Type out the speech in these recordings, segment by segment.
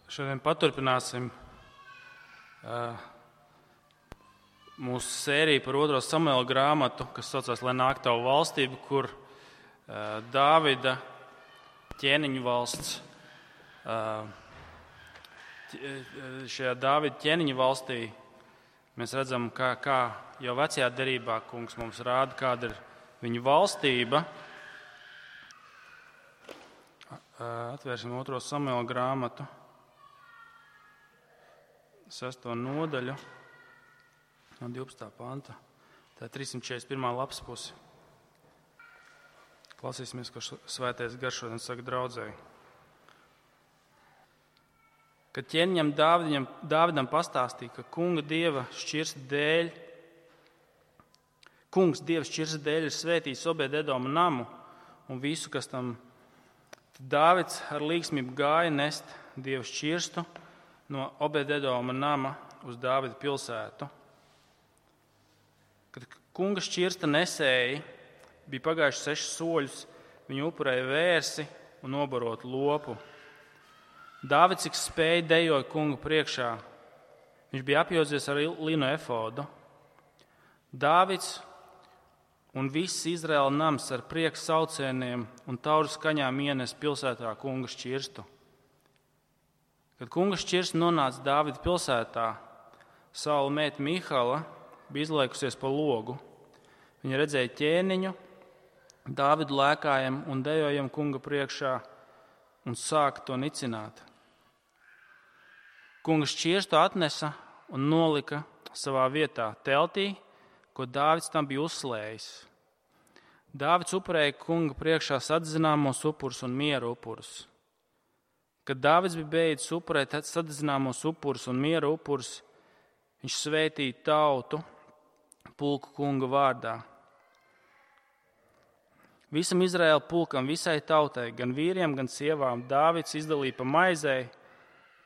Šodien paturpināsim mūsu sēriju par 2. Samuela grāmatu, kas saucās Lai nāk tavu valstību, kur Dāvida ķēniņu valsts, šajā Dāvida ķēniņu valstī mēs redzam, kā jau vecajā derībā kungs mums rāda, kāda ir viņa valstība. Atvērsim 2. Samuela grāmatu, 6. nodaļu, no 12. panta. Tā ir 341. lapas puse. Klausīsimies, ko svētais gars šodien saka draudzēji. Kad ķēniņam Dāvidam pastāstīja, ka kungs Dieva šķirsta dēļ ir svētījis Obed-Edoma namu un visu, kas tam, tad Dāvids ar līgsmību gāja nest Dieva šķirstu no Obed-Edoma nama uz Dāvida pilsētu. Kad kunga šķirsta nesēji bija pagājuši 6 soļus, viņu upurēja vērsi un nobarot lopu. Dāvids, cik spēja, dejoja kunga priekšā. Viņš bija apjodzies ar linu efodu. Dāvids un viss Izraēla nams ar prieku saucieniem un tauru skaņām ienes pilsētā kunga šķirstu. Kad kunga šķirsta nonāca Dāvida pilsētā, Saula meita Mihala bija izliekusies pa logu. Viņa redzēja ķēniņu, Dāvidu lēkājam un dejojam kunga priekšā un sāka to nicināt. Kunga šķirstu atnesa un nolika savā vietā teltī, ko Dāvids tam bija uzslējis. Dāvids upurēja kunga priekšā sadzināmos upurus un miera upurus. Kad Dāvids bija beidzis upurēt sadzināmos upurus un miera upurus, viņš svētīja tautu pulku kunga vārdā. Visam Izraēla pulkam, visai tautai, gan vīriem, gan sievām, Dāvids izdalīja pa maizei,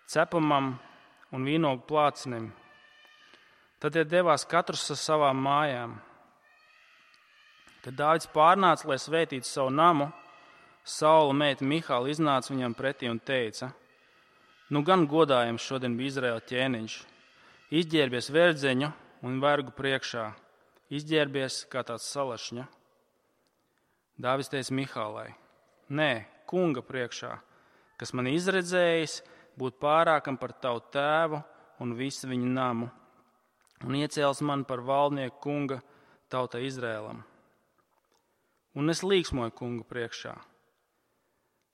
cepamam un vīnogu plācinim. Tad tie devās katrs ar savām mājām. Kad Dāvids pārnāca, lai svētītu savu namu, Saula meita Mihala iznāca viņam pretī un teica: Nu gan godājams šodien bija Izraēla ķēniņš. Izģērbies verdzeņu un vergu priekšā. Izģērbies kā tāds salašņa. Dāvids teica Mihalai: Nē, kunga priekšā, kas man izredzējis būt pārākam par tavu tēvu un visu viņa namu, un iecēls man par valdnieku kunga tautai Izraēlam. Un es līksmoju kunga priekšā.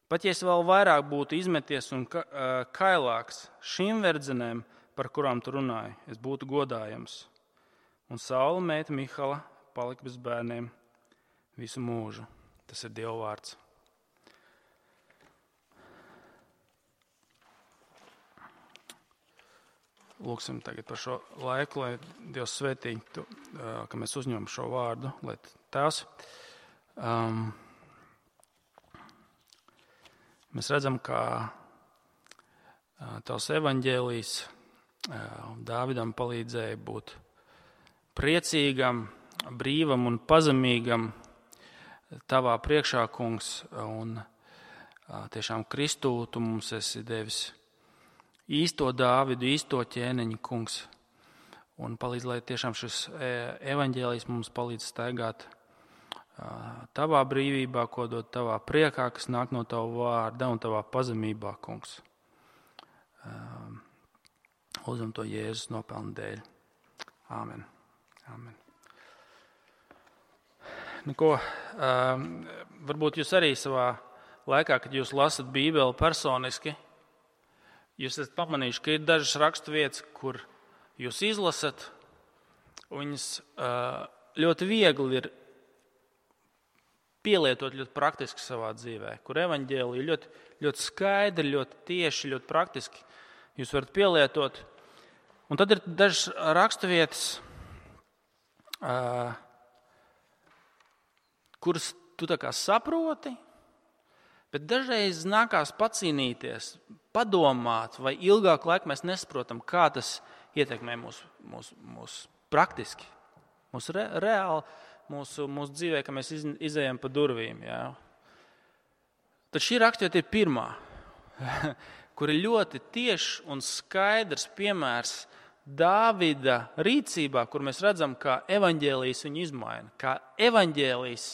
Pat ja es vēl vairāk būtu izmeties un kailāks šīm verdzenēm, par kurām tu runāji, es būtu godājams. Un Saula meita Mihala palika bez bērniem visu mūžu. Tas ir Dieva vārds. Lūksim tagad par šo laiku, lai Dievs svētī, ka mēs uzņemam šo vārdu, lai Tēvs. Mēs redzam, ka tavs evaņģēlijs Dāvidam palīdzēja būt priecīgam, brīvam un pazemīgam tavā priekšā, kungs, un tiešām Kristū tu mums esi devis īsto Dāvidu, īsto ķēniņu, kungs, un palīdz, lai tiešām šis evaņģēlijs mums palīdz staigāt tavā brīvībā, ko dod tavā priekā, kas nāk no tava vārda un tavā pazemībā, kungs. Lūdzam to Jēzus nopelnu dēļ. Āmen. Āmen. Varbūt jūs arī savā laikā, kad jūs lasat Bībeli personiski, jūs esat pamanījuši, ka ir dažas raksturvietas, kur jūs izlasat, un viņas ļoti viegli ir pielietot ļoti praktiski savā dzīvē, kur evaņģēlija ļoti, ļoti skaidri, ļoti tieši, ļoti praktiski jūs varat pielietot. Un tad ir dažas raksturvietas, kuras tu tā kā saproti, bet dažreiz nākās pacīnīties, padomāt, vai ilgāku laiku mēs nesaprotam, kā tas ietekmē mūs praktiski, mūs reāli, mūsu dzīvē, ka mēs izejam pa durvīm. Jā. Tad šī raksturvieta ir pirmā, kur ir ļoti tiešs un skaidrs piemērs Dāvida rīcībā, kur mēs redzam, kā evaņģēlijs viņu izmaina, kā evaņģēlijs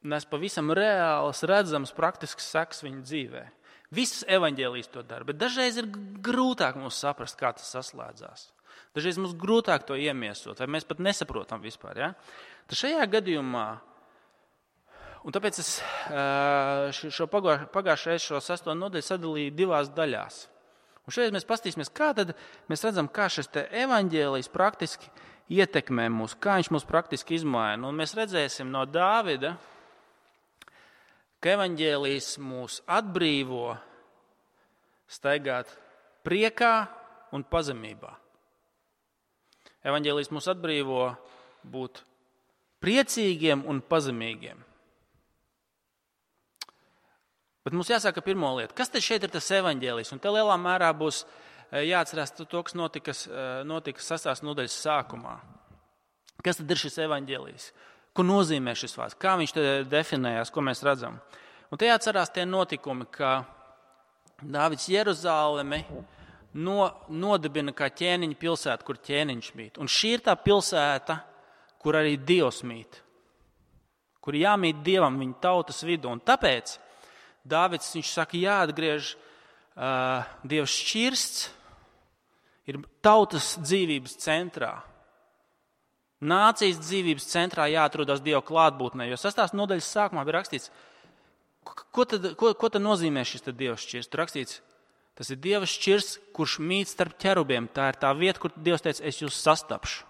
nes pavisam reāls, redzams, praktisks seks viņa dzīvē. Viss evaņģēlijs to dara, bet dažreiz ir grūtāk mums saprast, kā tas saslēdzās. Dažreiz mums grūtāk to iemiesot, vai mēs pat nesaprotam vispār. Ja? Tad šajā gadījumā, un tāpēc es šo pagājušajā reizē šo 6. nodaļu sadalīju 2 daļās. Un šeit mēs paskatīsimies, kā tad mēs redzam, kā šis te evaņģēlijs praktiski ietekmē mūs, kā viņš mūs praktiski izmaina. Un mēs redzēsim no Dāvida, ka evaņģēlijs mūs atbrīvo staigāt priekā un pazemībā. Evaņģēlijs mūs atbrīvo būt priecīgiem un pazemīgiem. Bet mums jāsaka pirmo lietu. Kas tad šeit ir tas evaņģēlijs? Un te lielā mērā būs jāatcerās to, kas notika 6. nodaļas sākumā. Kas tad ir šis evaņģēlijs? Ko nozīmē šis vārds? Kā viņš te definējās, ko mēs redzam? Un te jāatcerās tie notikumi, ka Dāvids Jeruzalemi nodibina kā ķēniņa pilsētu, kur ķēniņš mīt. Un šī ir tā pilsēta, kur arī Dievs mīt. Kur jāmīt Dievam viņa tautas vidū. Un tāpēc Dāvids, viņš saka, jāatgriež Dievs šķirsts, ir tautas dzīvības centrā. Nācijas dzīvības centrā jāatrodas Dieva klātbūtnē, jo 6. nodaļas sākumā bija rakstīts, ko tad nozīmē šis Dieva šķirsts? Tur rakstīts, tas ir Dieva šķirsts, kurš mīt starp ķerubiem. Tā ir tā vieta, kur Dievs teica, es jūs sastapšu.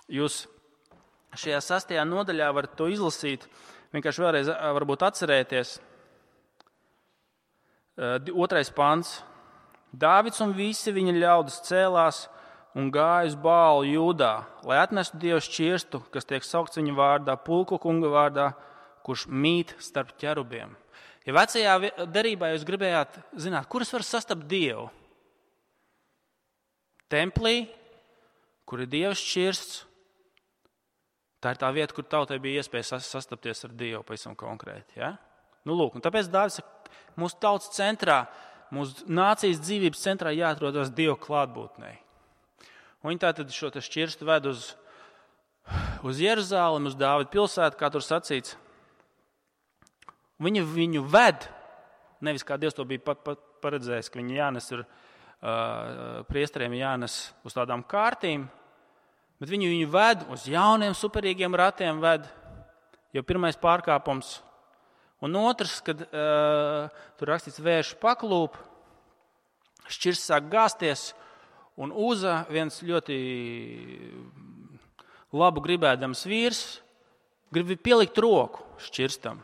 Jūs šajā 6. nodaļā varat to izlasīt, vienkārši vēlreiz varbūt atcerēties. 2. pants. Dāvids un visi viņa ļaudis cēlās un gāja uz Bālu Jūdā, lai atnestu Dieva šķirstu, kas tiek saukts viņa vārdā, pulku kunga vārdā, kurš mīt starp ķerubiem. Ja vecajā derībā jūs gribējāt zināt, kur es varu sastapt Dievu? Templī, kur ir Dieva šķirsts. Tā ir tā vieta, kur tautai bija iespēja sastapties ar Dievu pavisam konkrēti. Ja? Nu, lūk, un tāpēc Dāvids saka, mūsu tautas centrā, mūsu nācijas dzīvības centrā jāatrodas Dieva klātbūtnē. Un viņi tātad šo šķirstu ved uz Jeruzalemi, uz Dāvida pilsētu, kā tur sacīts. Viņi viņu ved, nevis kā Dievs to bija paredzējis, ka viņi jānes priesteriem jānes uz tādām kārtīm, bet viņu ved uz jauniem superīgiem ratiem ved, jau pirmais pārkāpums. Un otrs, kad tur rakstīts vērš paklūp, šķirsts sāk gāzties, un Uza, viens ļoti labu gribēdams vīrs, grib pielikt roku šķirstam,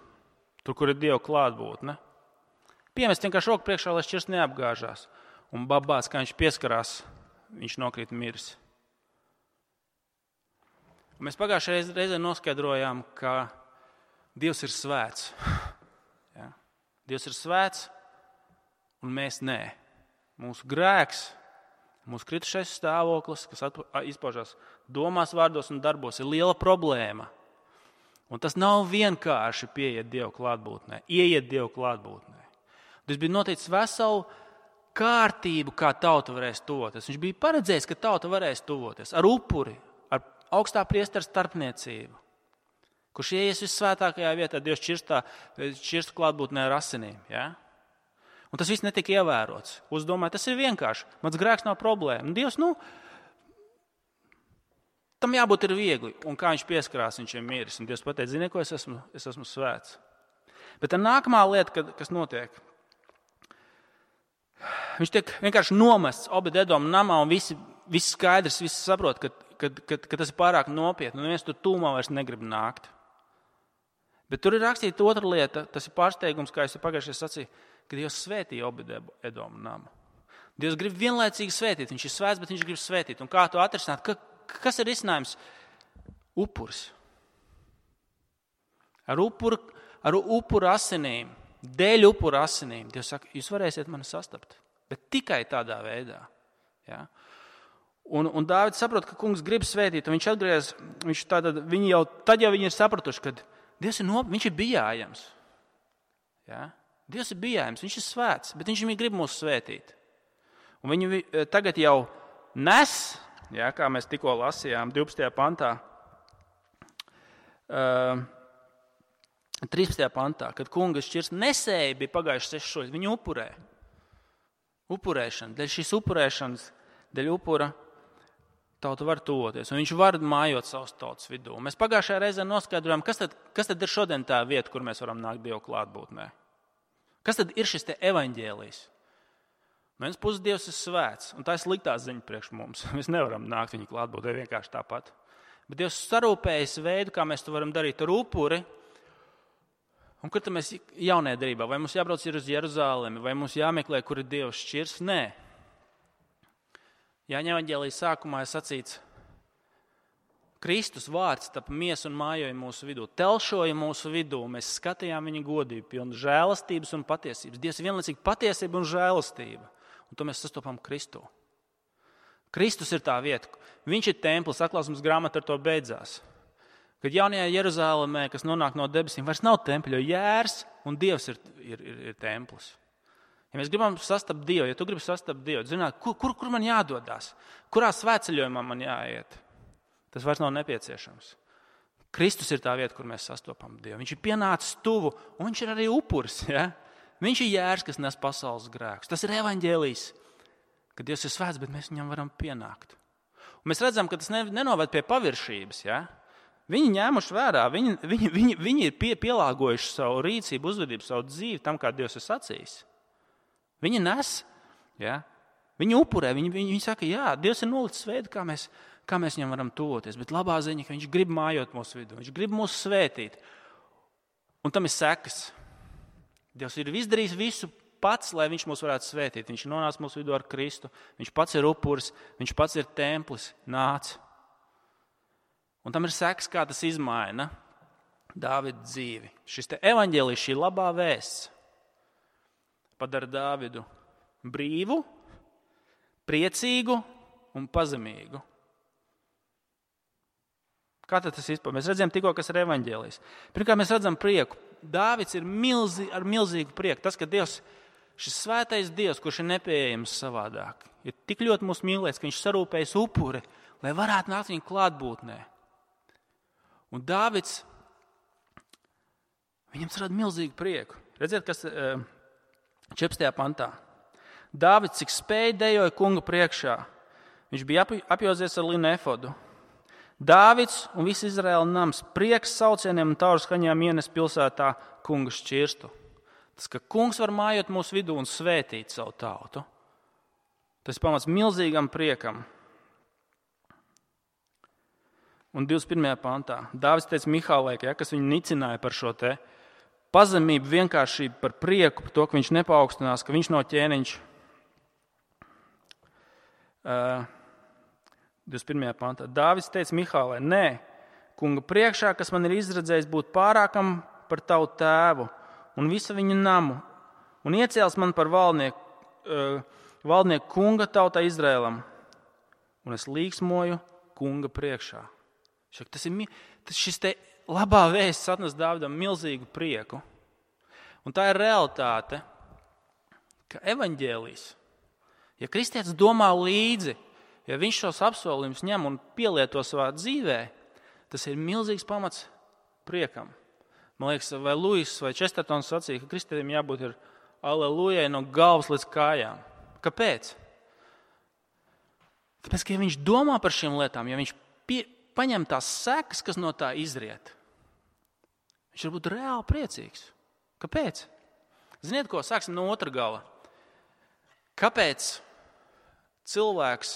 tur, kur ir Dieva klātbūtne. Piemest vienkārši roku priekšā, lai šķirsts neapgāžās. Un babāts, kā viņš pieskarās, viņš nokrīt miris. Mēs pagājušajā reizē noskaidrojām, ka Dievs ir svēts. Ja? Dievs ir svēts, un mēs nē. Mūsu grēks, mūsu kritušais stāvoklis, kas izpaužās domās, vārdos un darbos, ir liela problēma. Un tas nav vienkārši pieiet Dieva klātbūtnē, ieiet Dieva klātbūtnē. Tas bija noticis veselu kārtību, kā tauta varēs tuvoties. Viņš bija paredzējis, ka tauta varēs tuvoties ar upuri, augstā priestera starpniecību, kurš ieies vissvētākajā vietā, Dievs šķirstu klātbūtnē ar asinīm. Ja? Un tas viss netika ievērots. Uzdomāju, tas ir vienkārši. Mans grēks nav problēma. Un Dievs, tam jābūt ir viegli. Un kā viņš pieskarās, viņš ir miris. Un Dievs pateica, zini, ko es esmu svēts. Bet tā nākamā lieta, kas notiek, viņš tiek vienkārši nomests Obed-Edoma namā un visi skaidrs, visi saprot, ka tas ir pārāk nopietni, un neviens tur tūmā vairs negrib nākt. Bet tur ir rakstīta otra lieta, tas ir pārsteigums, kā es pagājušajā sacīju, ka Dievs svētīja Obed-Edoma namu. Dievs grib vienlaicīgi svētīt, viņš ir svēts, bet viņš grib svētīt. Un kā to atrisināt? Kas ir risinājums? Upuris. Ar upuru asinīm, dēļ upuru asinīm, Dievs saka, jūs varēsiet mani sastapt, bet tikai tādā veidā. Ja? Un Dāvids saprot, ka kungs grib svētīt, un viņš atgriez, viņi ir sapratuši, ka Dievs viņš ir bijājams. Ja? Dievs ir bijājums, viņš ir svēts, bet viņš grib mūs svētīt. Un viņu tagad jau nes, kā mēs tikko lasījām 12. pantā, 13. pantā, kad kunga šķirs nesēja bija pagājuši 6 soļus, viņu upurē. Upurēšana, dēļ šīs upurēšanas, dēļ upura tauta var tuvoties, un viņš var mājot savas tautas vidū. Mēs pagājušajā reizē noskaidrojām, kas tad ir šodien tā vieta, kur mēs varam nākt Dievu klātbūtnē. Kas tad ir šis te evaņģēlijs? No vienas puses Dievs ir svēts, un tā ir sliktā ziņa priekš mums. Mēs nevaram nākt viņa klātbūtnē vienkārši tāpat. Bet Dievs sarūpējas veidu, kā mēs to varam darīt ar upuri. Un kur tad mēs jaunajā darbā? Vai mums jābrauc uz Jeruzalemi, vai mums jāmeklē, kur ir Dievs šķirs? Nē. Jāņa evaņģēlijas sākumā ir sacīts, Kristus vārds tapa miesa un mājoja mūsu vidū, telšoja mūsu vidū, mēs skatījām viņa godību, pilnu žēlastības un patiesības. Dievs ir vienlaicīgi patiesība un žēlastība, un to mēs sastopam Kristū. Kristus ir tā vieta, viņš ir templis, atklāsmes grāmata ar to beidzās. Kad jaunajā Jeruzālēmē, kas nonāk no debesīm, vairs nav tempļa, jo Jērs un Dievs ir templis. Ja mēs gribam sastapt Dievu, ja tu gribi sastapt Dievu, zināt, kur man jādodās, kurā svētceļojumā man jāiet, tas vairs nav nepieciešams. Kristus ir tā vieta, kur mēs sastopam Dievu. Viņš ir pienācis tuvu, un viņš ir arī upuris. Ja? Viņš ir Jērs, kas nes pasaules grēkus. Tas ir evaņģēlijs, ka Dievs ir svēts, bet mēs viņam varam pienākt. Un mēs redzam, ka tas nenoved pie paviršības. Ja? Viņi ņēmuši vērā, viņi ir pielāgojuši savu rīcību, uzvedību, savu dzīvi tam, kā Dievs ir sacījis. Viņi nes, ja? Viņi upurē, viņi saka, jā, Dievs ir nolicis veidu, kā mēs viņam varam tuvoties, bet labā ziņa, ka viņš grib mājot mūsu vidū, viņš grib mūs svētīt. Un tam ir sekas. Dievs ir izdarījis visu pats, lai viņš mūs varētu svētīt. Viņš ir nonācis mūsu vidū ar Kristu, viņš pats ir upuris, viņš pats ir templis, nāc. Un tam ir sekas, kā tas izmaina Dāvida dzīvi. Šis te evaņģēlijs, šī labā vēsts padara Dāvidu brīvu, priecīgu un pazemīgu. Kā tad tas izpaužas? Mēs redzam tikko, kas ir evaņģēlijs. Pirmkārt, mēs redzam prieku. Dāvids ir ar milzīgu prieku. Tas, ka Dievs, šis svētais Dievs, kurš ir nepieejams savādāk, ir tik ļoti mūs mīlēts, ka viņš sarūpējas upuri, lai varētu nākt viņa klātbūtnē. Un Dāvids, viņam rada milzīgu prieku. Redziet, kas 14. pantā. Dāvids, cik spēja, dejoja kunga priekšā. Viņš bija apjozies ar linu efodu. Dāvids un viss Izraēla nams prieks saucieniem un tauru skaņām ienes pilsētā kunga šķirstu. Tas, ka kungs var mājot mūsu vidū un svētīt savu tautu, tas pamats milzīgam priekam. Un 21. pantā Dāvids teica Mihālai, kas viņu nicināja par šo te pazemību, vienkāršību, par prieku, par to, ka viņš nepaukstinās, ka viņš nav ķēniņš. 21. pantā. Dāvids teica Mihālai, nē, kunga priekšā, kas man ir izredzējis būt pārākam par tavu tēvu un visu viņa namu, un iecēls man par valdnieku kunga tautā Izrēlam, un es līksmoju kunga priekšā. Šis te labā vēsts atnes Dāvidam milzīgu prieku. Un tā ir realitāte, ka evaņģēlijs, ja kristietis domā līdzi, ja viņš šos apsolījumus ņem un pielieto savā dzīvē, tas ir milzīgs pamats priekam. Man liekas, vai Lūis vai Čestertons sacīja, ka kristietim jābūt ir alelujai no galvas līdz kājām. Kāpēc? Tāpēc, ka ja viņš domā par šīm lietām, ja viņš paņem tās sekas, kas no tā izriet, viņš var būt reāli priecīgs. Kāpēc? Ziniet ko? Sāksim no otra gala. Kāpēc cilvēks,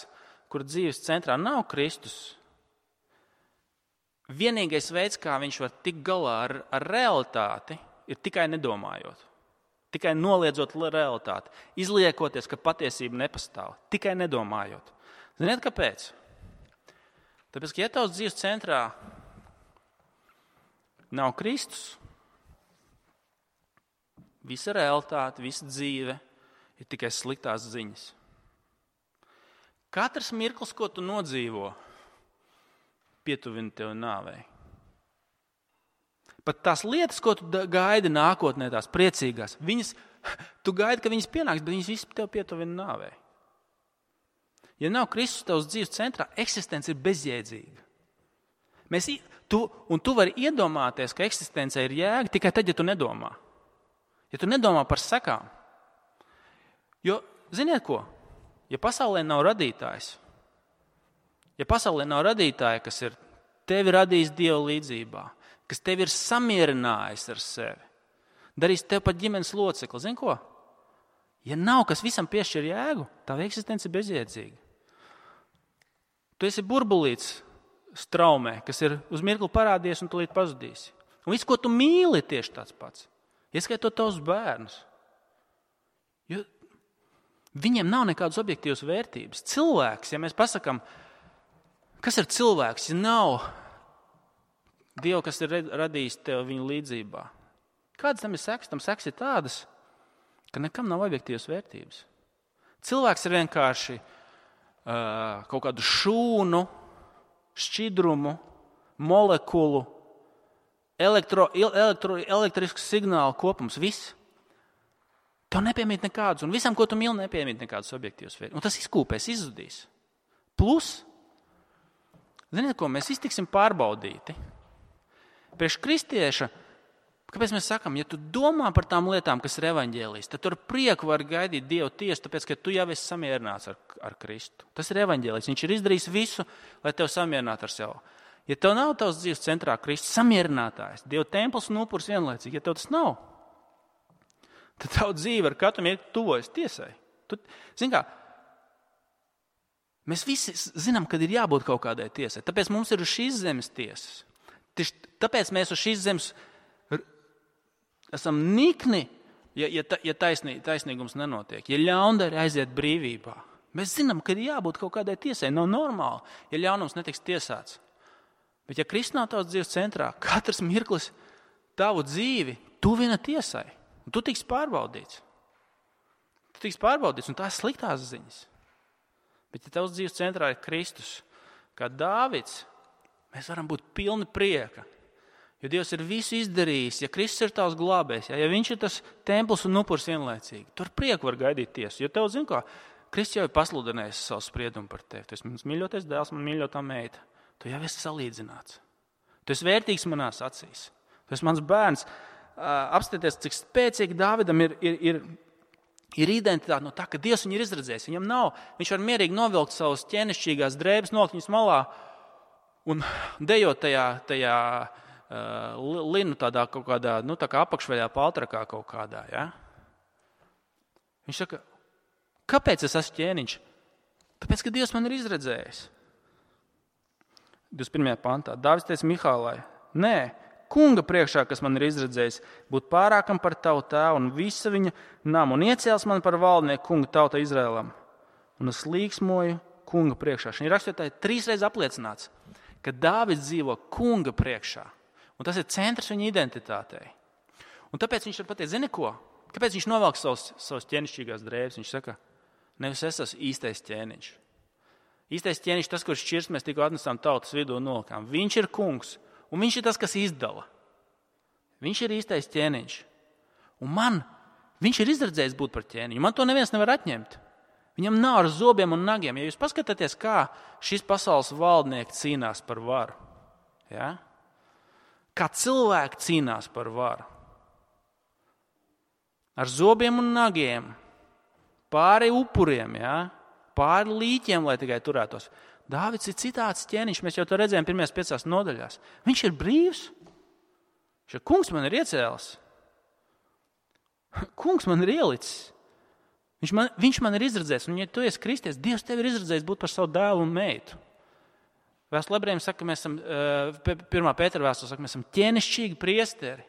kur dzīves centrā nav Kristus, vienīgais veids, kā viņš var tikt galā ar realitāti, ir tikai nedomājot. Tikai noliedzot realitāti. Izliekoties, ka patiesība nepastāv. Tikai nedomājot. Ziniet, kāpēc? Tāpēc, ka ja tavs dzīves centrā nav Kristus, visa realitāte, visa dzīve ir tikai sliktās ziņas. Katrs mirklis, ko tu nodzīvo, pietuvina tev nāvei. Pat tās lietas, ko tu gaidi nākotnē, tās priecīgās, tu gaidi, ka viņas pienāks, bet viņas visu tev pietuvina nāvei. Ja nav Kristus tavs dzīves centrā, eksistence ir bezjēdzīga. Tu vari iedomāties, ka eksistence ir jēga tikai tad, ja tu nedomā. Ja tu nedomā par sekām. Jo, ziniet ko? Ja pasaulē nav radītājs, kas ir tevi radījis Dieva līdzībā, kas tevi ir samierinājis ar sevi, darīs tev pat ģimenes locekli. Zini ko? Ja nav, kas visam piešķir jēgu, tava eksistence ir bezjēdzīga. Tu esi burbulīts straumē, kas ir uz mirkli parādies un tūlīt pazudīs. Un viss, ko tu mīli, ir tieši tāds pats. Ieskaitot tavus bērnus. Jo viņiem nav nekādas objektīvas vērtības. Cilvēks, ja mēs pasakām, kas ir cilvēks, ja nav Dievu, kas ir radījis tev viņu līdzībā. Kādas tam ir sekas? Tam sekas ir tādas, ka nekam nav objektīvas vērtības. Cilvēks ir vienkārši kaut kādu šūnu, šķidrumu, molekulu, elektrisku signālu kopums. Viss. Tev nepiemīt nekādus, un visam, ko tu mīli, nepiemīt nekādus objektīvus vērtības. Un tas izkūpēs, izzudīs. Plus, ziniet ko, mēs iztiksim pārbaudīti. Priekš kristieša, kāpēc mēs sakam, ja tu domā par tām lietām, kas ir evaņģēlijs, tad tu ar prieku vari gaidīt Dievu tiesu, tāpēc, ka tu jau esi samierināts ar Kristu. Tas ir evaņģēlijs. Viņš ir izdarījis visu, lai tev samierinātu ar sevi. Ja tev nav tavs dzīves centrā Kristus samierinātājs, Dieva templis un upuris vienlaicīgi, ja tev tas nav, tad tavu dzīve ar katru mirkli tuvojas tiesai. Zini kā, mēs visi zinām, kad ir jābūt kaut kādai tiesai. Tāpēc mums ir uz šīs zemes tiesas. Tāpēc mēs uz šīs zemes esam nikni, ja taisnīgums nenotiek, ja ļaundari aiziet brīvībā. Mēs zinām, ka ir jābūt kaut kādai tiesai. Nav normāli, ja ļaunums netiks tiesāts. Bet ja Kristus nav tavs dzīves centrā, katrs mirklis tavu dzīvi tuvina tiesai. Un tu tiks pārbaudīts. Un tā ir sliktās ziņas. Bet ja tavs dzīves centrā ir Kristus, kā Dāvids, mēs varam būt pilni prieka. Jo Dievs ir visu izdarījis, ja Kristus ir tavs glābējs, ja viņš ir tas templis un upuris vienlaicīgi, tu ar prieku var gaidīt tiesu. Jo tev, zin ko, Kristus jau ir pasludinājis savu spriedumu par tevi. Tu esi mans mīļotais dēls, man mīļotā meita. Tu jau esi salīdzināts. Tu esi vērtīgs manās acīs. Tu esi mans bērns. Apstāties, cik spēcīgi Dāvidam ir identitāte no tā, ka Dievs viņu ir izredzējis. Viņam nav, viņš var mierīgi novilkt savus ķēnišķīgās drēbes, nolikt viņus malā un dejot tajā linu tādā kaut kādā, tā kā apakšveļā paltrakā kaut kādā, ja? Viņš saka, kāpēc es esmu ķēniņš? Tāpēc, ka Dievs man ir izredzējis. 21. pantā. Dāvids teica Mihālai, nē, kunga priekšā, kas man ir izredzējis, būt pārākam par tavu tēvu un visa viņa namu un iecēls man par valdnieku kunga tauta Izraēlam. Un es līksmoju kunga priekšā. Šī rakstītāji 3 reizes apliecināts, ka Dāvids dzīvo kunga priekšā. Un tas ir centrs viņa identitātei. Un tāpēc viņš var pateikt, zini ko? Kāpēc viņš novelk savus ķēnišķīgās drēbes? Viņš saka, nevis es esmu īstais ķēniņš. Īstais ķēniņš tas, kurš šķirst, mēs tikko atnesām tautas vidū un nolikām. Viņš ir kungs, un viņš ir tas, kas izdala. Viņš ir īstais ķēniņš. Un viņš ir izredzējis būt par ķēniņu. Man to neviens nevar atņemt. Viņam nav ar zobiem un nagiem. Ja jūs paskatāties, kā šis pasaules valdnieki cīnās par varu, ja? Kā cilvēki cīnās par varu. Ar zobiem un nagiem, pāri upuriem, ja? Pāri līķiem, lai tikai turētos. Dāvids ir citāds ķēniņš, mēs jau to redzējām 1. 5 nodaļās. Viņš ir brīvs. Kungs man ir iecēlis. Kungs man ir ielicis. Viņš man ir izredzējis, un ja tu esi kristies, Dievs tevi ir izredzējis būt par savu dēlu un meitu. Vēstule ebrejiem saka, ka mēs esam, 1. Pētera vēstule saka, mēs esam ķēnišķīgi priesteri.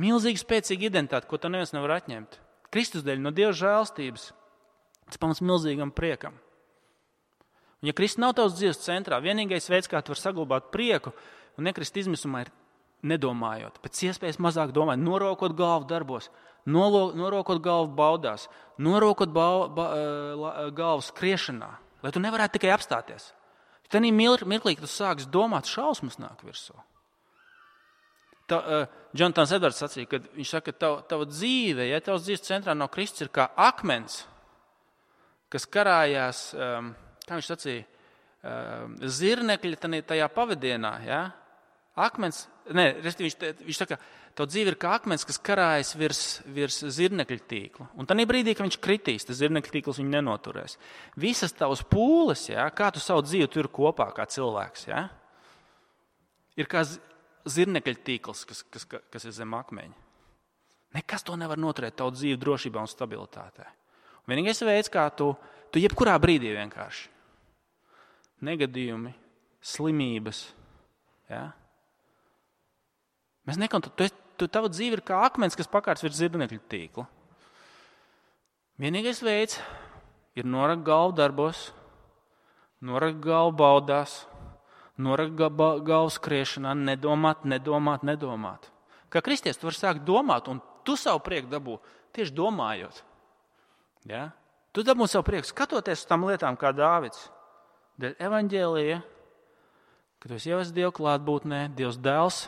Milzīgi spēcīga identitāte, ko tev neviens nevar atņemt. Kristus dēļ no Dieva žēlstības. Tas pamats milzīgam priekam. Un ja Kristus nav tavs dzīves centrā, vienīgais veids, kā tu vari saglabāt prieku un nekrist izmisumā, ir nedomājot. Pēc iespējas mazāk domāt, norokot galvu darbos, norokot galvu baudās, norokot galvu skriešanā, lai tu nevarētu tikai apstāties. Tad mirklī, kad tu sāksi domāt, šausmas nāk virsū. Jonatans Edvards sacīja, ka viņš saka, ka tava dzīve, ja tavs dzīves centrā no Kristus ir kā akmens, kas karājās, kā viņš sacīja, zirnekļi tajā pavadienā, ja? Akmens, viņš saka, tavu dzīve ir kā akmens, kas karājas virs zirnekļa tīkla. Un tajā brīdī, kad viņš kritīs, tas zirnekļa tīkls viņu nenoturēs. Visas tavas pūles, ja? Kā tu savu dzīvi tur kopā kā cilvēks, ja? Ir kā zirnekļa tīkls, kas ir zem akmeņa. Nekas to nevar noturēt tavu dzīvi drošībā un stabilitātē. Un vienīgais veids, kā tu jebkurā brīdī vienkārši. Negadījumi, slimības, ja? Mēs tava dzīve ir kā akmens, kas pakārts virs zirnekļa tīkla. Vienīgais veids ir norakt galvu darbos, norakt galvu baudās, norakt galvu skriešanā, nedomāt. Kā kristietis tu vari sākt domāt, un tu savu prieku dabū tieši domājot. Ja? Tu dabū savu prieku, skatoties uz tām lietām kā Dāvids. Dēļ evaņģēlija, kad tu esi ievests Dieva klātbūtnē, Dievs dēls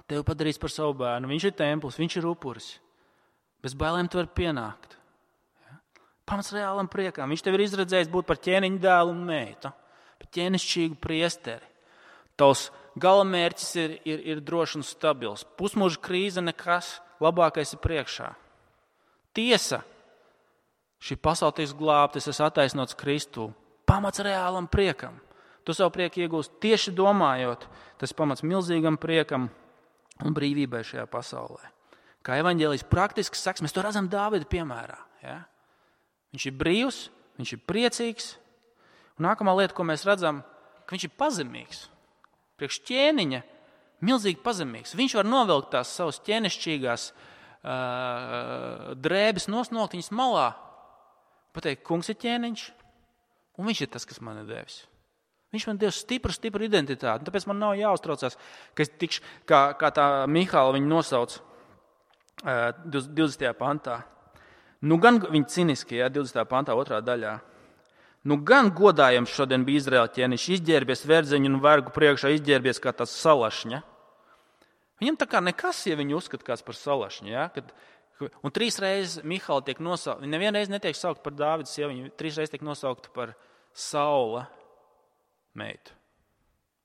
tevi padarīs par savu bērnu. Viņš ir templis, viņš ir upuris. Bez bailēm tu vari pienākt. Ja? Pamats reālam priekam. Viņš tev ir izredzējis būt par ķēniņu dēlu un meitu, par ķēnišķīgu priesteri. Tavs galamērķis ir drošs un stabils. Pusmūža krīze nekas, labākais ir priekšā. Tiesa, šī pasaule tiks glābta, es esmu attaisnots Kristū. Pamats reālam priekam. Tu savu prieku iegūst tieši domājot. Tas pamats milzīgam priekam un brīvībai šajā pasaulē. Kā evaņģēlijs praktiski saks, mēs to redzam Dāvida piemērā. Ja? Viņš ir brīvs, viņš ir priecīgs. Un nākamā lieta, ko mēs redzam, ka viņš ir pazemīgs. Priekš ķēniņa milzīgi pazemīgs. Viņš var novilkt tās savas ķēnišķīgās drēbes, nosnokt viņas malā, pateikt, kungs ir ķēniņš, un viņš ir tas, kas man ir devis. Viņš man devis stipru identitāti, tāpēc man nav jāuztraucās, ka es tikšu, kā tā Mihāla viņu nosauc 20. pantā. Nu gan viņa ciniski, 20. pantā, 2. daļā. Nu gan godājams šodien bija Izraēla ķēniņš, izģērbies verdzeņu un vergu priekšā, izģērbies kā tāds salašņa. Viņam tā kā nekas, ja viņu uzskata kāds par salašņu. Ja? Un 3 reizes Mihāla tiek nosaukta, viņa nevienreiz netiek saukt par Dāvida sievu, viņa 3 reizes tiek nosaukta par Saula meitu.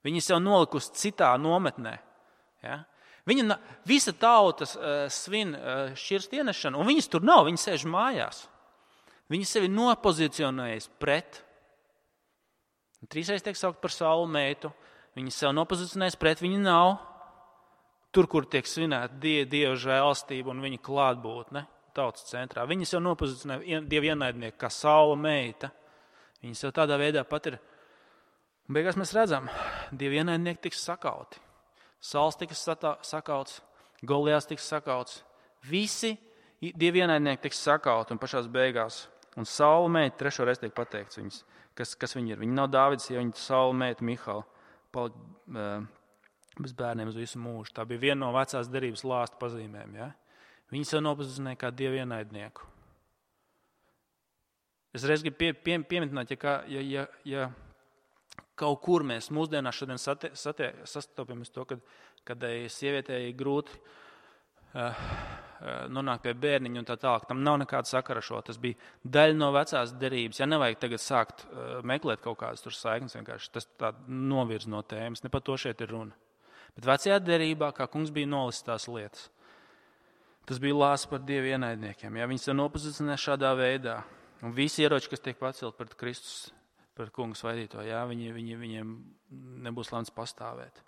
Viņa sev nolikusi citā nometnē. Ja? Visa tauta svin šķirstu ienešanu, un viņas tur nav, viņas sēž mājās. Viņa sevi nopozicionējas pret. 3 reizes tiek saukt par Saula meitu, viņa sev nopozicionējas pret, viņa nav. Tur, kur tiek svinēta Dieva žēlastība un viņa klātbūtne tautas centrā. Viņa sev nopozicionē Dieva ienaidnieku kā Saula meita. Viņa sev tādā veidā pat ir. Un beigās mēs redzam, Dieva ienaidnieki tiks sakauti. Sauls tiks sakauts, Golijāts tiks sakauts. Visi Dieva ienaidnieki tiks sakauti un pašās beigās. Un Saula meita 3. reizi tiek pateikts viņas, kas viņa ir. Viņa nav Dāvids, ja viņa Saula meita Mihāla palika bez bērniem uz visu mūžu. Tā bija viena no vecās derības lāsta pazīmēm. Ja? Viņa sev nopozicionēja kā Dieva ienaidnieku. Es reiz gribu pieminēt, ja kaut kur mēs mūsdienās šodien sastopamies to, kad sievietei ir grūti nonākt pie bērniņa un tā tālāk. Tam nav nekāda sakara šo. Tas bija daļa no vecās derības. Ja nevajag tagad sākt meklēt kaut kādas tur saiknes, vienkārši tas tā novirz no tēmas. Ne par to šeit ir runa. Bet vecajā derībā, kā kungs bija nolicis tās lietas, tas bija lāsts par Dieva ienaidniekiem. Ja? Viņi se nopozicionē šādā veidā. Un visi ieroči, kas tiek pacelt pret Kristus, pret kungu svaidīto, ja? Viņiem nebūs lemts pastāvēt.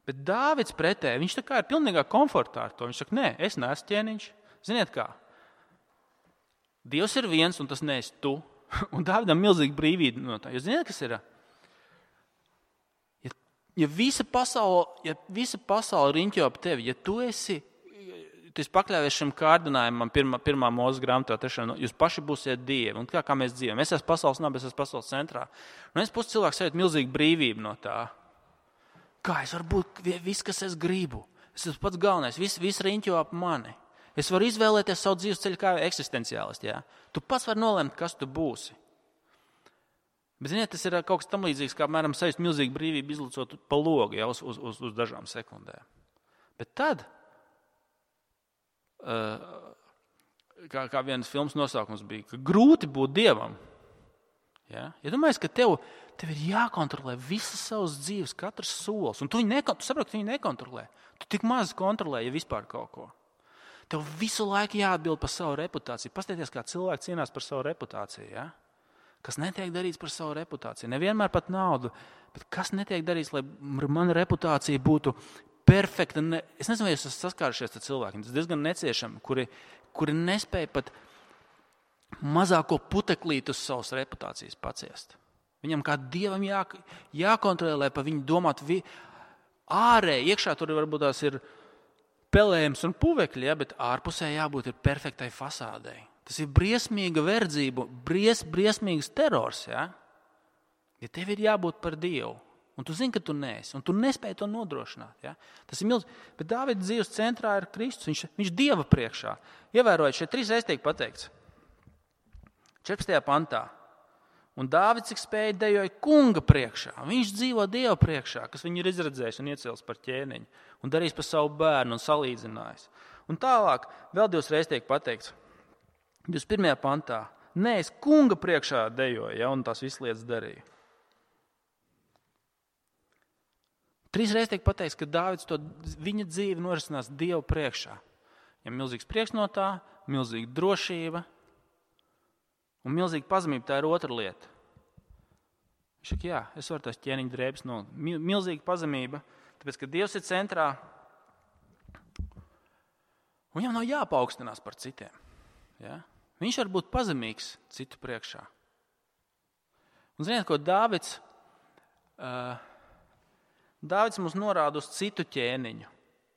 Bet Dāvids pretēji, viņš tā kā ir pilnīgā komfortā ar to. Viņš saka, nē, es neesmu ķēniņš. Ziniet kā? Dievs ir viens un tas neesi tu. Un Dāvidam milzīgi brīvība no tā. Jūs zināt, kas ir? Ja visa pasaule riņķo ap tevi, ja tu esi pakļāvies šim kārdinājumam pirmā Mūzes grāmatā, jūs paši būsiet dievi. Un kā mēs dzīvojam? Es esmu pasaules nabas, es esmu pasaules centrā. Un es pusi cilvēks sajūt milzīgu brīvību no tā. Kā es varu būt viss, kas es gribu? Es esmu pats galvenais, viss riņķo ap mani. Es varu izvēlēties savu dzīves ceļu kā eksistenciālisti. Ja? Tu pats vari nolemt, kas tu būsi. Bet, ziniet, tas ir kaut kas tam līdzīgs, kā, apmēram, sajust milzīgu brīvību izlicot pa logu, ja, uz dažām sekundēm. Bet tad, kā vienas filmas nosaukums bija, ka grūti būt Dievam. Ja domājies, ka tev ir jākontrolē visas savas dzīves, katrs solis, un tu saproti, ka tu viņu nekontrolē. Tu tik maz kontrolē, ja vispār kaut ko. Tev visu laiku jāatbild par savu reputāciju. Paskatieties, kā cilvēki cīnās par savu reputāciju. Ja? Kas netiek darīts par savu reputāciju. Nevienmēr pat naudu, bet kas netiek darīts, lai mana reputācija būtu perfekta. Es nezinu, vai jūs esat saskārušies ar cilvēkiem. Tas diezgan neciešami, kuri nespēja pat mazāko puteklītu uz savas reputācijas paciest. Viņam kā Dievam jākontrolē, lai par viņu domātu ārēji. Iekšā tur varbūt tās ir pelējums un puvekļi, ja, bet ārpusē jābūt ir perfektai fasādei. Tas ir briesmīga verdzība, briesmīgs terors. Ja tev ir jābūt par Dievu, un tu zini, ka tu neesi, un tu nespēji to nodrošināt. Ja? Tas ir milzīgi. Bet Dāvida dzīves centrā ir Kristus, viņš Dieva priekšā. Ievērojiet, šeit 3 reizes tiek pateikts. 14. pantā. Un Dāvids, cik spēja, dejoja kunga priekšā. Viņš dzīvo Dieva priekšā, kas viņu ir izredzējis un iecēlis par ķēniņu. Un darījis par savu bērnu un salīdzinājis. Un tālāk vēl 2 reizes tiek pateikts. 21. pantā. Nē, es kunga priekšā dejoju, ja, un tās visas lietas darīju. 3 reizes tiek pateikts, ka Dāvids viņa dzīve norisinās Dieva priekšā. Viņam milzīgs prieks no tā, milzīga drošība. Un milzīga pazemība, tā ir otra lieta. Viņš saka, jā, es varu tās ķēniņa drēbes milzīga pazemība, tāpēc, ka Dievs ir centrā. Un viņam nav jāpaukstinās par citiem. Ja? Viņš var būt pazemīgs citu priekšā. Un ziniet, ko Dāvids mums norāda uz citu ķēniņu,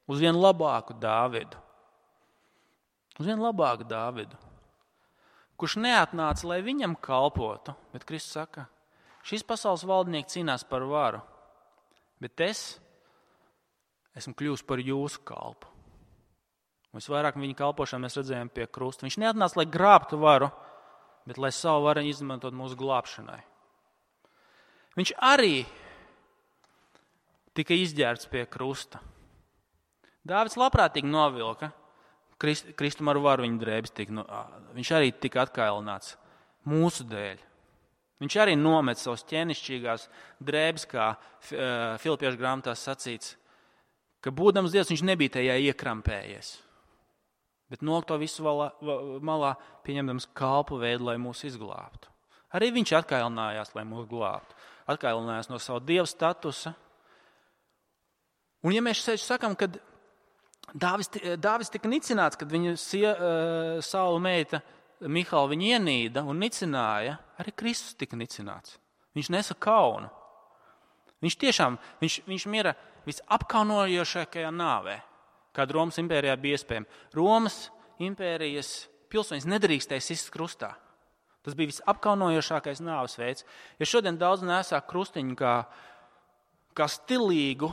uz vienu labāku Dāvidu. Uz vienu labāku Dāvidu. Kurš neatnāca, lai viņam kalpotu, bet Kristus saka, šis pasaules valdnieks cīnās par varu, bet es esmu kļuvis par jūsu kalpu. Un visvairāk viņa kalpošanu mēs redzējām pie krusta. Viņš neatnāca, lai grābtu varu, bet lai savu varu izmantot mūsu glābšanai. Viņš arī tika izģērbts pie krusta. Dāvids labprātīgi novilka. Kristum ar varu viņa drēbes viņš arī tika atkailināts mūsu dēļ. Viņš arī nomet savas ķēnišķīgās drēbes, kā Filipiešu grāmatās sacīts, ka būdams Dievs viņš nebija tajā iekrampējies, bet noliek to visu malā, pieņemdams kalpu veidu, lai mūs izglābtu. Arī viņš atkailinājās, lai mūs glābtu. Atkailinājās no savu Dieva statusa. Un ja mēs šeit sakam, kad Dāvids tika nicināts, kad viņa Saula meita Mihala viņu ienīda un nicināja, arī Kristus tika nicināts. Viņš nesa kaunu. Viņš mira visapkaunojošākajā nāvē, kāda Romas impērijā bija iespējama. Romas impērijas pilsoņus nedrīkstēja sist krustā. Tas bija visapkaunojošākais nāves veids. Ja šodien daudz nesā krustiņu kā stilīgu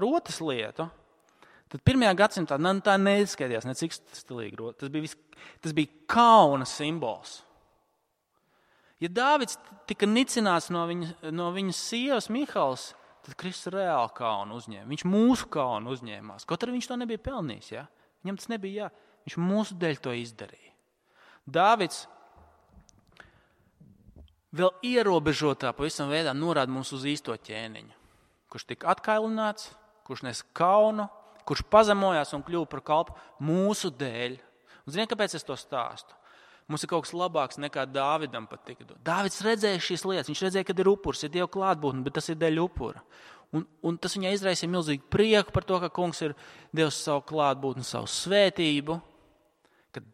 rotas lietu, tad 1. gadsimtā tā neizskatījās necik stilīgi rota. Tas bija kauna simbols. Ja Dāvids tika nicināts no viņas sievas Mihalas, tad Kristus reāli kaunu uzņēma. Viņš mūsu kaunu uzņēmās. Kaut arī viņš to nebija pelnījis. Ja? Viņam tas nebija viņš mūsu dēļ to izdarīja. Dāvids vēl ierobežotā pavisam veidā norāda mums uz īsto ķēniņu, kurš tika atkailināts, kurš nes kaunu, kurš pazemojās un kļuva par kalpu mūsu dēļ. Un ziniet, kāpēc es to stāstu? Mums ir kaut kas labāks nekā Dāvidam pat tika dot. Dāvids redzēja šīs lietas, viņš redzēja, kad ir upurs, ir Dieva klātbūtne, bet tas ir dēļ upura. Un tas viņai izraisīja milzīgu prieku par to, ka kungs ir devis savu klātbūtni, savu svētību, kad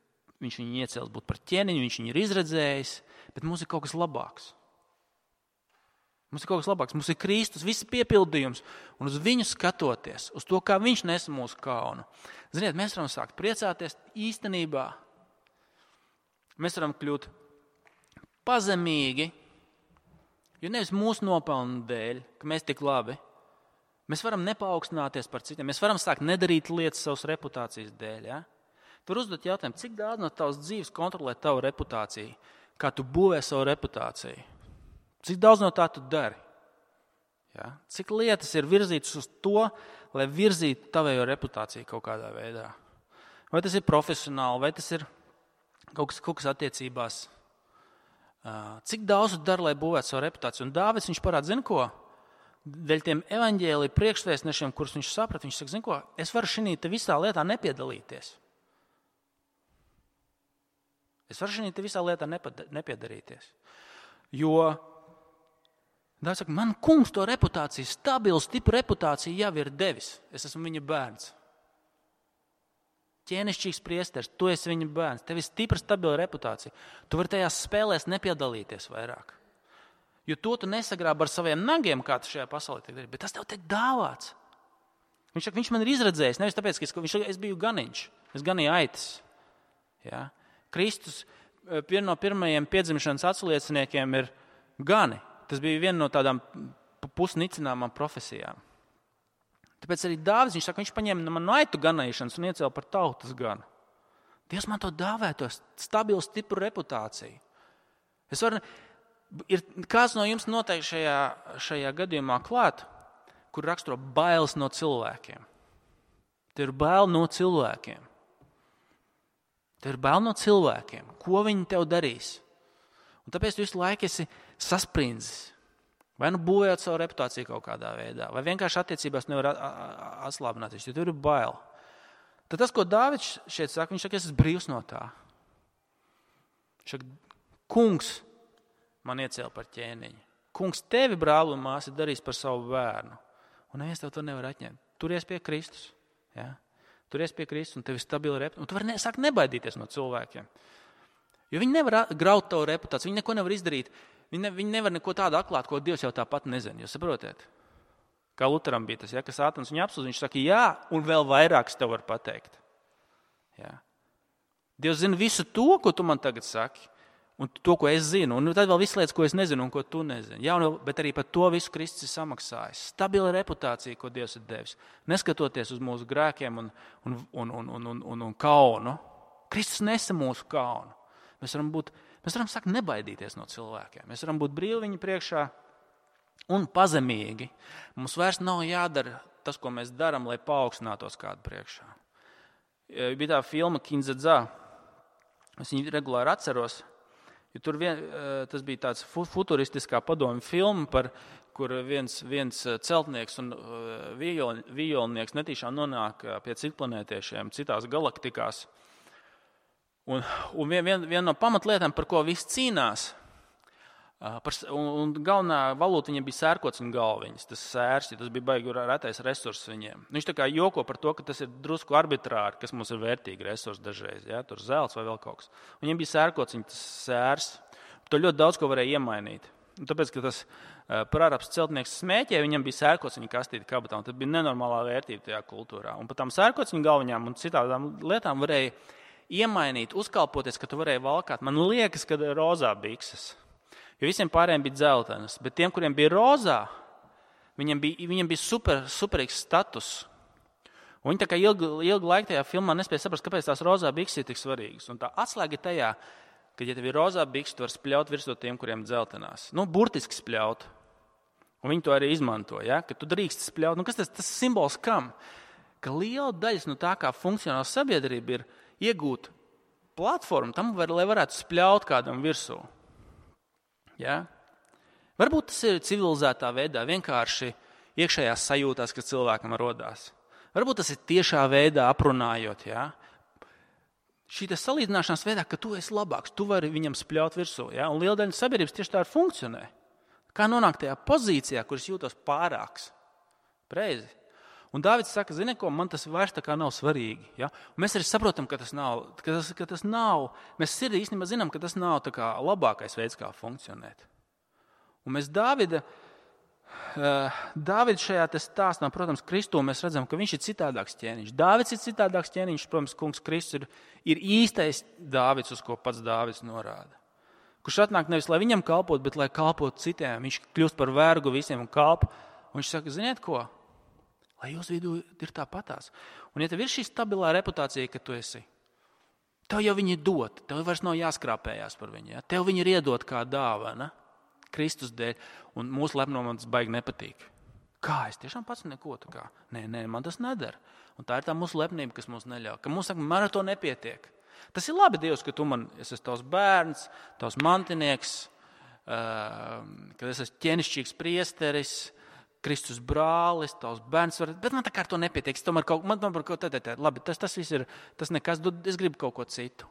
viņš viņu iecēlis būt par ķēniņu, viņš viņu ir izredzējis, bet mums ir kaut kas labāks. Mums ir Kristus, visi piepildījums, un uz viņu skatoties, uz to, kā viņš nes mūsu kaunu. Ziniet, mēs varam sākt priecāties īstenībā. Mēs varam kļūt pazemīgi, jo nevis mūsu nopelnu dēļ, ka mēs tik labi. Mēs varam nepaukstināties par citiem, mēs varam sākt nedarīt lietas savas reputācijas dēļ. Ja? Tur uzdot jautājumu, cik daudz no tavas dzīves kontrolē tavu reputāciju, kā tu būvē savu reputāciju. Cik daudz no tā tu dari? Ja? Cik lietas ir virzītas uz to, lai virzītu tavējo reputāciju kaut kādā veidā. Vai tas ir profesionāli, vai tas ir kaut kas attiecībās. Cik daudz tu dari, lai būvētu savu reputāciju? Un Dāvids, viņš parāda, zini ko? Dēļ tiem evaņģēliju priekšvēstnešiem, kurus viņš saprata, viņš saka, zini ko? Es varu šī te visā lietā nepiedalīties. Es varu šī te visā lietā nepiedarīties. Jo Dāvids saka, man kungs to reputāciju, stabilu, stipru reputāciju jau ir devis. Es esmu viņa bērns. Ķēnišķīgs priesteris, tu esi viņa bērns. Tev ir stipra, stabila reputācija. Tu vari tajās spēlēs nepiedalīties vairāk. Jo to tu nesagrābi ar saviem nagiem, kā tu šajā pasaulē tiek darīt, bet tas tev tiek dāvāts. Viņš saka, viņš man ir izredzējis, nevis tāpēc, ka es biju ganiņš, es ganīju aitas. Ja? Kristus, viena no pirmajiem piedzimšanas atslieciniekiem ir gani. Tas bija viena no tādām pusnicināmām profesijām. Tāpēc arī Dāvids, viņš saka, viņš paņēma man no aitu ganīšanas un iecēla par tautas ganu. Dievs man to dāvē, to stabilu, stipru reputāciju. Ir kāds no jums noteikti šajā gadījumā klāt, kur raksturo bailes no cilvēkiem. Tev ir bail no cilvēkiem. Tev ir bail no cilvēkiem. Ko viņi tev darīs? Un tāpēc tu visu laiku esi sasprindzis. Vai nu būvējot savu reputāciju kaut kādā veidā, vai vienkārši attiecībās nevar atslābināties, jo tev ir bail. Tad tas, ko Dāvids šeit saka, viņš saka, es esmu brīvs no tā. Viņš saka, kungs man iecēla par ķēniņu. Kungs tevi, brāli un māsi, darīs par savu bērnu. Un neviens tev to nevar atņemt. Turies pie Kristus. Ja? Turies pie Kristus un tev ir stabila reputācija. Un tu vari sākt nebaidīties no cilvēkiem. Jo viņi nevar graut tavu reputāciju, viņi neko nevar izdarīt. Viņi nevar neko tādu atklāt, ko Dievs jau tāpat nezina. Jūs saprotiet? Kā Luteram bija tas, ja, ka Sātans viņu apsūdz, viņš saka, jā, un vēl vairāk es tev varu pateikt. Ja. Dievs zina visu to, ko tu man tagad saki, un to, ko es zinu, un tad vēl visu lietas, ko es nezinu un ko tu nezini. Jā, bet arī par to visu Kristus ir samaksājis. Stabila reputācija, ko Dievs ir devis. Neskatoties uz mūsu grēkiem un kaunu. Kristus nesa mūsu kaunu. Mēs varam sākt nebaidīties no cilvēkiem. Mēs varam būt brīvi viņu priekšā un pazemīgi. Mums vairs nav jādara tas, ko mēs darām, lai paaugstinātos kādu priekšā. Bija tā filma Kindzadzā. Es viņu regulāri atceros. Jo tas bija tāds futuristiskā padomju filma, kur viens celtnieks un vijolnieks netīšām nonāk pie citplanētiešiem citās galaktikās. Un viena no pamatlietām, par ko visi cīnās, un galvenā valūta viņiem bija sērkociņu galviņas, tas sērs, tas bija baigi retais resurss viņiem. Viņš tā kā joko par to, ka tas ir drusku arbitrāri, kas mums ir vērtīgi resursi dažreiz, ja? Tur zelts vai vēl kaut kas. Viņiem bija sērkociņu, tas sērs, to ļoti daudz ko varēja iemainīt. Un tāpēc, ka tas prārabs celtnieks smēķē, viņam bija sērkociņu kastīte kabatā, un tas bija nenormālā vērtība tajā kultūrā. Un par tām sērkociņu galviņām un citādām lietām varēja iemainīt, uzkalpoties, ka tu varēji valkāt. Man liekas, ka rozā bikses. Jo visiem pārējiem bija dzeltenas, bet tiem, kuriem bija rozā, viņiem bija superīgs status. Un viņi tā kā ilgu laiku tajā filmā nespēja saprast, kāpēc tās rozā bikses ir tik svarīgas. Un tā atslēga ir tajā, ka, ja tev ir rozā bikses, tu vari spļaut virsū tiem, kuriem dzeltenās. Burtiski spļaut. Un viņi to arī izmanto, ja? Ka tu drīkst spļaut. Kas tas simbols kam? Ka liela daļas no tā, kā funkcionāla sabiedrība ir iegūt platformu tam, lai varētu spļaut kādam virsū. Ja? Varbūt tas ir civilizētā veidā, vienkārši iekšējās sajūtās, kas cilvēkam rodās. Varbūt tas ir tiešā veidā aprunājot. Ja? Šī salīdzināšanās veidā, ka tu esi labāks, tu vari viņam spļaut virsū. Ja? Un liela daļa sabiedrības tieši tā funkcionē. Kā nonākt tajā pozīcijā, kur es jūtos pārāks? Preizi. Un Dāvids saka, zini ko, man tas vairs tā kā nav svarīgi. Ja? Un mēs arī saprotam, ka tas nav, mēs sirdī īstenībā zinām, ka tas nav tā kā labākais veids, kā funkcionēt. Un mēs Dāvida šajā stāstā, protams, Kristu mēs redzam, ka viņš ir citādāks ķēniņš. Dāvids ir citādāks ķēniņš, protams, kungs Kristus ir īstais Dāvids, uz ko pats Dāvids norāda. Kurš atnāk nevis, lai viņam kalpot, bet lai kalpot citiem. Viņš kļūst par vergu visiem un kalpu. Un viņš saka, ziniet ko? Lai jūs vidū ir tāpatās. Un ja tev ir šī stabilā reputācija, ka tu esi, tev jau viņi dot, tev vairs nav jāskrāpējās par viņu. Tev viņi ir iedot kā dāvana Kristus dēļ, un mūsu lepnumam tas baigi nepatīk. Kā es tiešām pats neko tā kā? Nē, man tas nedara. Un tā ir tā mūsu lepnība, kas mums neļauj. Ka mums saka, man ar to nepietiek. Tas ir labi, Dievs, ka tu es esmu tavs bērns, tavs mantinieks, ka es esmu ķēnišķīgs priesteris, Kristus brālis, tavs bērns. Bet man tā kā ar to nepietiek. Labi, tas viss ir, tas nekas, es gribu kaut ko citu.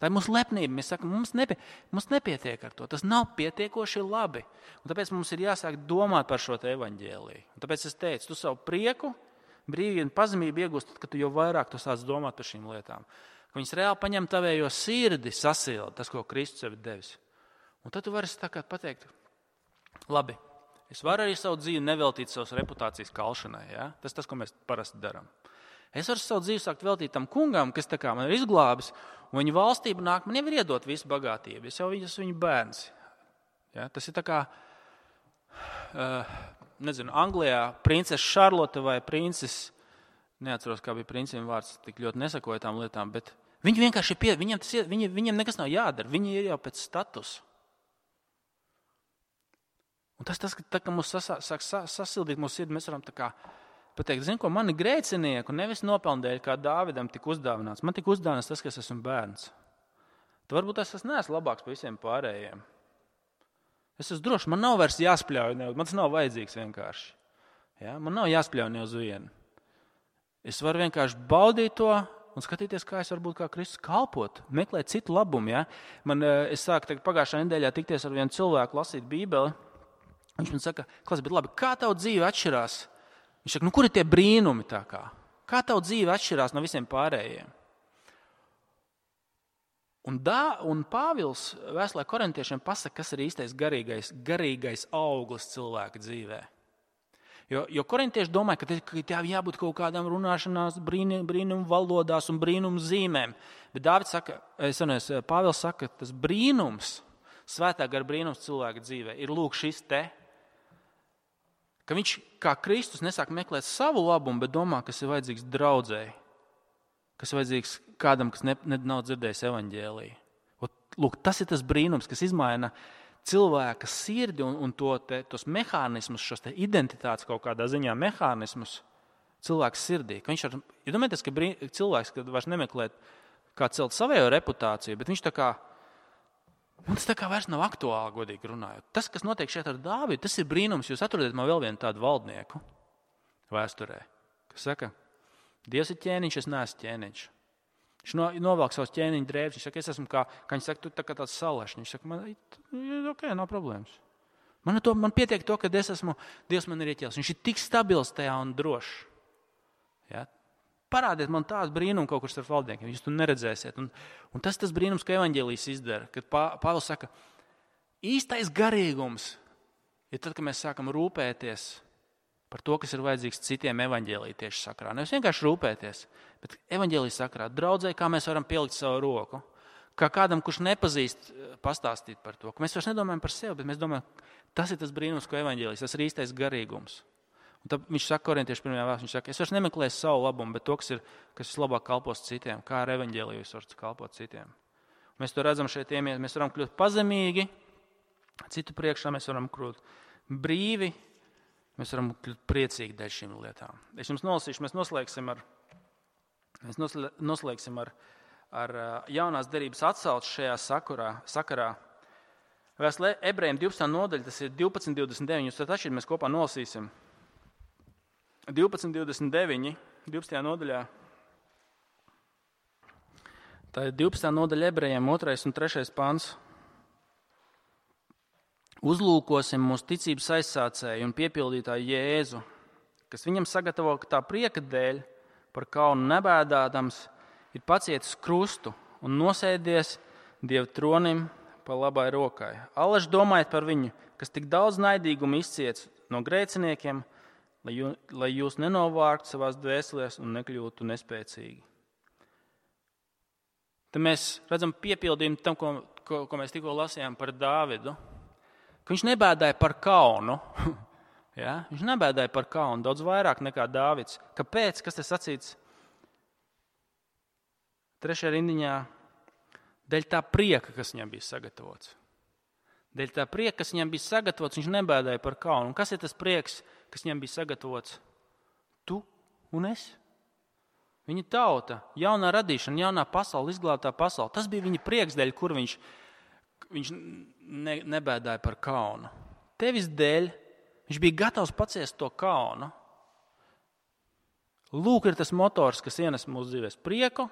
Tā ir mūsu lepnība. Mēs sakām, mums nepietiek ar to. Tas nav pietiekoši labi. Un tāpēc mums ir jāsāk domāt par šo te evaņģēliju. Un tāpēc es teicu, tu savu prieku, brīvību un pazemību iegūst, kad tu jau vairāk tu sāc domāt par šīm lietām. Ka viņas reāli paņem tavējo sirdi, sasilda, tas, ko Kristus sev ir devis. Un tad tu vari tā kā pateikt, labi, es varu arī savu dzīvi neveltīt savas reputācijas kalšanai. Ja? Tas, ko mēs parasti darām. Es varu savu dzīvi sākt veltīt tam kungam, kas tā kā man ir izglābis, un viņa valstība nāk, man jau ir iedot visu bagātību. Es jau esmu viņa bērns. Ja? Tas ir tā kā, Anglijā princese Šarlote vai princes, neatceros, kā bija princim vārds, tik ļoti nesakoja tām lietām, bet viņi vienkārši viņiem nekas nav jādara, viņi ir jau pēc statusa. Un tas, ka mums sāk sasildīt mūsu sirdi, mēs varam tā kā pateikt, zinu, ko mani grēcinieku nevis nopelnēļ, kā Dāvidam tika uzdāvināts. Man tika uzdāvināts tas, ka es esmu bērns. Tad varbūt es neesmu labāks par visiem pārējiem. Es esmu drošs, man nav vairs jāspļauj, man tas nav vajadzīgs vienkārši. Ja? Man nav jāspļauj ne uz vienu. Es varu vienkārši baudīt to un skatīties, kā es varu būt kā Kristus kalpot, meklēt citu labumu. Ja? Es sāku pagājušā nedēļā tikties ar vienu cilvēku, lasīt Bībeli. Viņš man saka, Klas, bet labi, kā tavu dzīve atšķirās? Viņš saka, kur ir tie brīnumi tā kā? Kā tavu dzīve atšķirās no visiem pārējiem? Un Pāvils vēstulē korintiešiem pasaka, kas ir īstais garīgais auglis cilvēka dzīvē. Jo korintieši domāja, ka tā jābūt kaut kādām runāšanās, brīnumu valodās un brīnumu zīmēm. Bet Pāvils saka, ka tas brīnums, svētā gara brīnums cilvēka dzīvē ir lūk šis te. Ka viņš, kā Kristus, nesāk meklēt savu labumu, bet domā, kas ir vajadzīgs draudzēji, kas ir vajadzīgs kādam, kas nav dzirdējis evaņģēliju. Lūk, tas ir tas brīnums, kas izmaina cilvēka sirdi un tos mehānismus, šos te identitātes kaut kādā ziņā mehānismus cilvēka sirdī. Ka viņš domājieties, ka cilvēks, kad vairs nemeklēt, kā celt savējo reputāciju, bet viņš tā kā tas tā kā vairs nav aktuāli, godīgi runājot. Tas, kas notiek šeit ar Dāvidu, tas ir brīnums. Jūs atrodat man vēl vienu tādu valdnieku vēsturē, kas saka, Dievs ir ķēniņš, es neesmu ķēniņš. Viņš novelk savus ķēniņu drēbes. Viņš saka, es esmu kā viņš saka, tu tā kā tāds salašņš. Viņš saka, ok, nav problēmas. Man pietiek to, ka Dievs man ir ieķēlis. Viņš ir tik stabils tajā un drošs. Ja? Parādiet man tādu brīnumu kaut kur starp valdniekiem, jūs to neredzēsiet. Un tas brīnums, ko evaņģēlijs izdara, kad Pāvils saka, īstais garīgums ir tad, kad mēs sākam rūpēties par to, kas ir vajadzīgs citiem evaņģēlija tieši sakrā. Nevis vienkārši rūpēties, bet evaņģēlija sakrā draudzē, kā mēs varam pielikt savu roku, kā kādam, kurš nepazīst, pastāstīt par to. Ka mēs vairs nedomājam par sevi, bet mēs domājam, tas ir tas brīnums, ko evaņģēlijs, tas ir īstais garīgums. Un tad viņš saka, korintieši pirmajā vēstulē, viņš saka, es vairs nemeklēju savu labumu, bet to, kas vislabāk kalpos citiem, kā ar evaņģēliju es varu kalpot citiem. Mēs to redzam šeit, mēs varam kļūt pazemīgi, citu priekšā mēs varam kļūt brīvi, mēs varam kļūt priecīgi dēļ šīm lietām. Es jums nolasīšu, mēs noslēgsim ar jaunās derības atsauci šajā sakarā. Vēstulē Ebrejiem 12. nodaļa, tas ir 12.29, jūs tad atšķirt, mēs kopā nolasīsim. 12.29, 12. nodaļā. Tā ir 12. nodaļa Ebrejiem, 2. un 3. pants. Uzlūkosim mūsu ticības aizsācēju un piepildītāju Jēzu, kas viņam sagatavo tā prieka dēļ, par kaunu nebēdādams, ir pacietis krustu un nosēdies Dieva tronim pa labai rokai. Allaž domājiet par viņu, kas tik daudz naidīgumu izciets no grēciniekiem, lai jūs nenovārtu savās dvēselēs un nekļūtu nespēcīgi. Tad mēs redzam piepildījumu tam, ko mēs tikko lasījām par Dāvidu, ka viņš nebēdāja par kaunu. Ja? Viņš nebēdāja par kaunu daudz vairāk nekā Dāvids. Kāpēc? Kas tas sacīts? 3. rindiņā. Dēļ tā prieka, kas viņam bija sagatavots. Dēļ tā prieka, kas viņam bija sagatavots, viņš nebēdāja par kaunu. Un kas ir tas prieks, kas viņam bija sagatavots. Tu un es. Viņa tauta, jaunā radīšana, jaunā pasaule, izglābtā pasaule. Tas bija viņa prieks dēļ, kur viņš nebēdāja par kaunu. Tevis dēļ viņš bija gatavs paciest to kaunu. Lūk, ir tas motors, kas ienes mūsu dzīvēs prieku,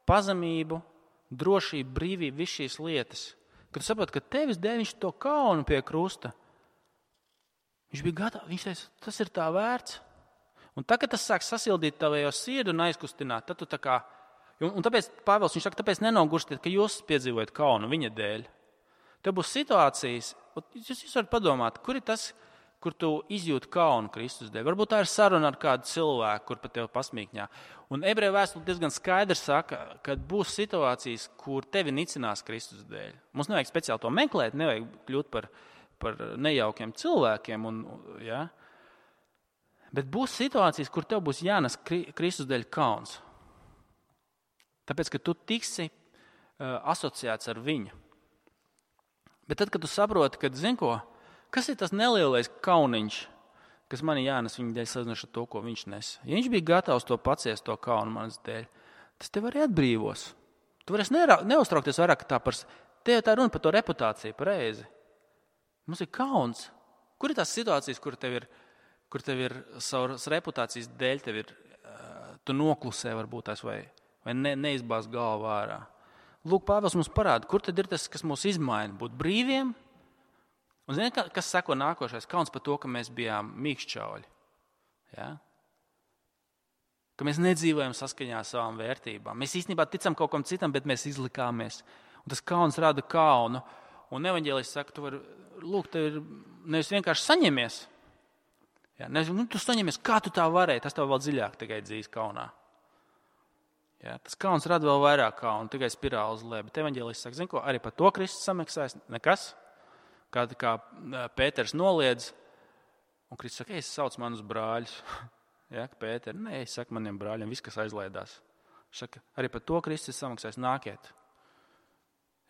pazemību, drošību, brīvību, visas šīs lietas. Kad tu saproti, ka tevis dēļ viņš to kaunu pie krusta, viņš bija gatavs, viņš teica, tas ir tā vērts. Un tagad tas sāk sasildīt tavējo sirdi un aizkustināt. Tad tu tā kā, un tāpēc Pāvils, viņš saka, tāpēc nenogurstiet, ka jūs piedzīvojat kaunu viņa dēļ. Tev būs situācijas, jūs varat padomāt, kur ir tas, kur tu izjūti kaunu Kristus dēļ. Varbūt tā ir saruna ar kādu cilvēku, kur pat tev pasmīkņā. Un ebreju vēstule diezgan skaidri saka, ka būs situācijas, kur tevi nicinās Kristus dēļ. Mums nevajag speciāli to meklēt, nevajag kļūt par nejaukiem cilvēkiem. Ja? Bet būs situācijas, kur tev būs jānes Kristus dēļ kauns. Tāpēc, ka tu tiksi asociēts ar viņu. Bet tad, kad tu saproti, ka, zini ko, kas ir tas nelielais kauniņš, kas man jānes viņa dēļ salīdzinot ar to, ko viņš nes. Ja viņš bija gatavs to paciest, to kaunu manas dēļ, tas tev arī atbrīvos. Tu varēsi neuztraukties vairāk tā par... Tev tā runa par to reputāciju, pareizi. Mums ir kauns. Kur ir tās situācijas, kur tev ir savas reputācijas dēļ, tu noklusē varbūt tās vai neizbāz galvu ārā. Lūk, Pāvils mums parāda, kur tad ir tas, kas mūs izmaina, būt brīviem. Un zini, kas seko nākošais? Kauns par to, ka mēs bijām mīkšķauļi. Ja? Ka mēs nedzīvojam saskaņā ar savām vērtībām. Mēs īstenībā ticam kaut kam citam, bet mēs izlikāmies. Un tas kauns rada kaunu. Un evaņģēlijs saka, tev ir nevis vienkārši saņemies. Ja? Nevis, tu saņemies, kā tu tā varēji, tas tev vēl dziļāk tikai dzīs kaunā. Ja? Tas kauns rada vēl vairāk kaunu, tikai spirāli uz leju. Bet evaņģēlijs saka, zini ko, arī par to Kristus samaksājas nekas. Kā Pēters noliedz, un Kristus saka, es sauc manus brāļus. Ja, Pēter, nē, es saku maniem brāļiem, viss, kas aizlaidās. Saka, arī par to Kristus samaksājas, nākiet.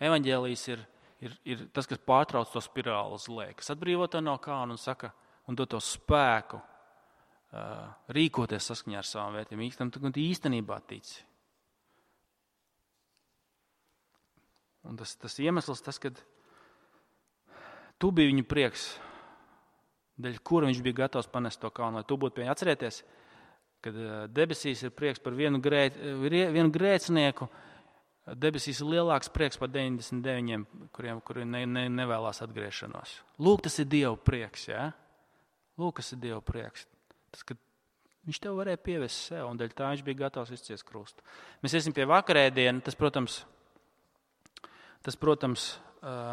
Evaņģēlijs ir tas, kas pārtrauc to spirāli uz leju, kas atbrīvo to no kauna un saka, un dod to spēku rīkoties saskaņā ar savām vērtībām. Tu īstenībā tici. Un tas iemesls, kad tu biji viņa prieks, dēļ kura viņš bija gatavs panest to kaunu, lai tu būtu pie viņa. Atcerieties, kad debesīs ir prieks par vienu grēcinieku, debesīs ir lielāks prieks par 99, kuri nevēlās atgriešanos. Lūk, tas ir Dieva prieks, ja? Lūk, tas ir Dieva prieks. Tas, kad viņš tev varēja pievest sev, un dēļ tā viņš bija gatavs izciest krustu. Mēs iesim pie vakarēdienu, tas, protams,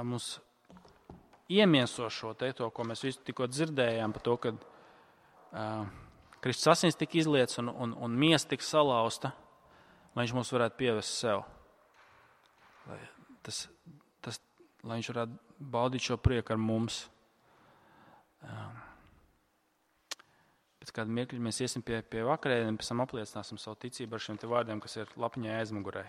mums iemieso šo to, ko mēs visu tikko dzirdējām par to, kad Kristus asins tika izlietas un miesa tika salauzta, lai viņš mūs varētu pievest sev. Lai viņš varētu baudīt šo prieku ar mums. Pēc kāda mirkļa mēs iesim pie vakarēdiena, pēc tam apliecināsim savu ticību ar šiem te vārdiem, kas ir lapiņai aizmugurē.